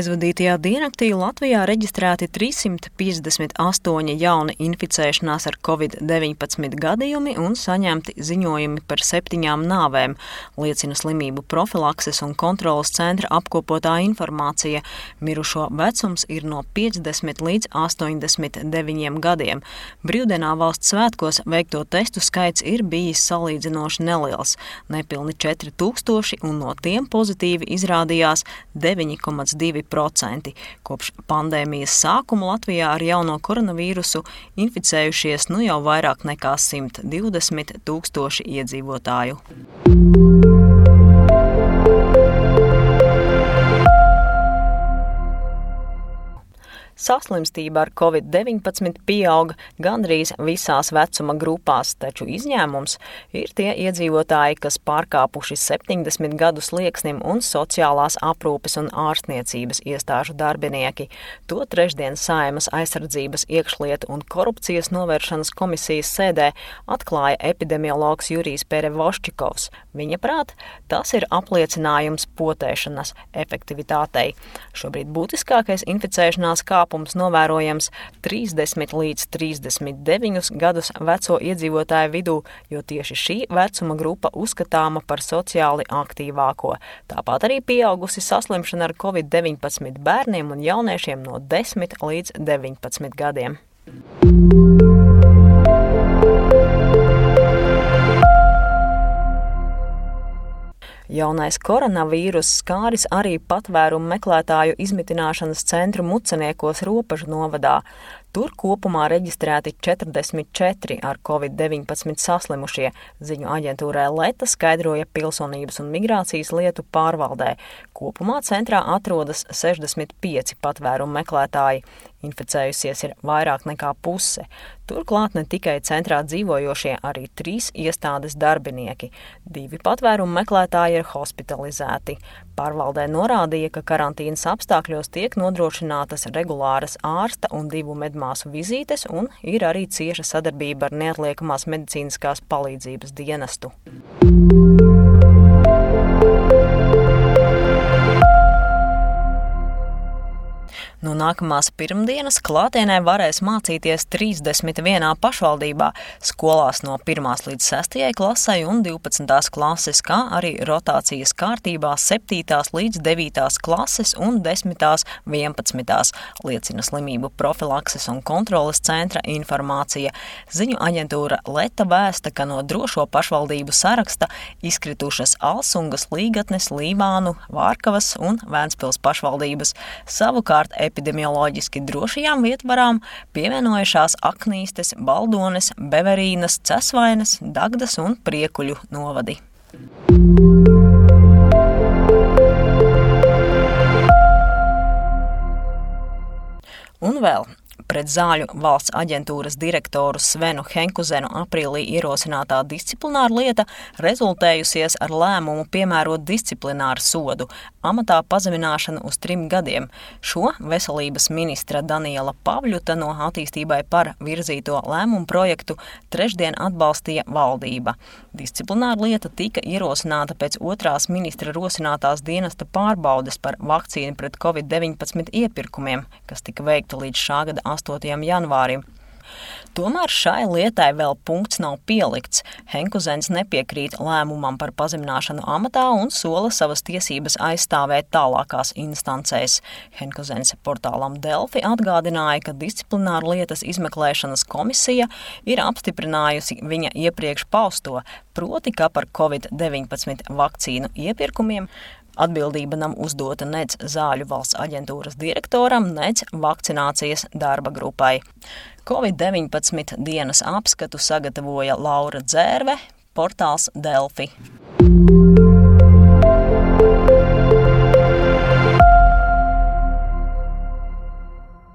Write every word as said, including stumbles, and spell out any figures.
Aizvadītajā diennaktī Latvijā reģistrēti trīssimt piecdesmit astoņi jauni inficēšanās ar covid deviņpadsmit gadījumi un saņemti ziņojumi par septiņām nāvēm, liecina slimību profilakses un kontroles centra apkopotā informācija. Mirušo vecums ir no piecdesmit līdz astoņdesmit deviņiem gadiem. Brīvdienā valsts svētkos veikto testu skaits ir bijis salīdzinoši neliels – nepilni četri tūkstoši, un no tiem pozitīvi izrādījās deviņi komats divi procenti. Kopš pandēmijas sākuma Latvijā ar jauno koronavīrusu inficējušies nu jau vairāk nekā simt divdesmit tūkstoši iedzīvotāju. Saslimstība ar covid deviņpadsmit pieauga gandrīz visās vecuma grupās, taču izņēmums ir tie iedzīvotāji, kas pārkāpuši septiņdesmit gadu slieksnim un sociālās aprūpes un ārstniecības iestāžu darbinieki. To trešdien Saeimas aizsardzības, iekšlietu un korupcijas novēršanas komisijas sēdē atklāja epidemiologs Jurijs Perevoščikovs. Viņa prāt, tas ir apliecinājums potēšanas efektivitātei. Šobrīd būtiskākais inficēšanās kāpums novērojams trīsdesmit līdz trīsdesmit deviņus gadus veco iedzīvotāju vidū, jo tieši šī vecuma grupa uzskatāma par sociāli aktīvāko. Tāpat arī pieaugusi saslimšana ar covid deviņpadsmit bērniem un jauniešiem no desmit līdz deviņpadsmit gadiem. Jaunais koronavīrus skāris arī patvērumu meklētāju izmitināšanas centru Muceniekos Ropažu novadā. Tur kopumā reģistrēti četrdesmit četri ar covid deviņpadsmit saslimušie, ziņu aģentūrai Leta skaidroja Pilsonības un migrācijas lietu pārvaldē. Kopumā centrā atrodas sešdesmit pieci patvērumu meklētāji. Inficējusies ir vairāk nekā puse. Turklāt ne tikai centrā dzīvojošie, arī trīs iestādes darbinieki. Divi patvērumu meklētāji ir hospitalizēti. Pārvaldē norādīja, ka karantīnas apstākļos tiek nodrošinātas regulāras ārsta un divu medmāsu vizītes un ir arī cieša sadarbība ar neatliekamās medicīniskās palīdzības dienestu. No nākamās pirmdienas klātienē varēs mācīties trīsdesmit vienā pašvaldībā, skolās no pirmās līdz sestajai klasei un divpadsmitās klases, kā arī rotācijas kārtībā septītās līdz devītās klases un desmitās vienpadsmitās, liecina slimību profilakses un kontroles centra informācija. Ziņu aģentūra Leta vēsta, ka no drošo pašvaldību saraksta izkritušas Alsungas, Līgatnes, Līvānu, Vārkavas un Vēnspils pašvaldības. Savukārt epidemioloģiski drošajām vietvarām pievienojušās Aknīstes, Baldones, Beverīnas, Cesvainas, Dagdas un Priekuļu novadi. Un vēl. Pret Zāļu valsts aģentūras direktoru Svenu Henkuzenu aprīlī ierosinātā disciplināra lieta rezultējusies ar lēmumu piemērot disciplināru sodu – amatā pazemināšanu uz trim gadiem. Šo veselības ministra Daniela Pavļuta no attīstībai par virzīto lēmumu projektu trešdien atbalstīja valdība. Disciplināra lieta tika ierosināta pēc otrās ministra rosinātās dienesta pārbaudes par vakcīnu pret covid deviņpadsmit iepirkumiem, kas tika veikta līdz šā gada astotajam janvārim. Tomēr šai lietai vēl punkts nav pielikts. Henkuzens nepiekrīt lēmumam par pazemināšanu amatā un sola savas tiesības aizstāvēt tālākās instancēs. Henkuzens portālam Delfi atgādināja, ka disciplināra lietas izmeklēšanas komisija ir apstiprinājusi viņa iepriekš pausto, proti, ka par covid deviņpadsmit vakcīnu iepirkumiem atbildība nav uzdota nec Zāļu valsts aģentūras direktoram, nec vakcinācijas darba grupai. covid deviņpadsmit dienas apskatu sagatavoja Laura Dzērve, portāls Delfi.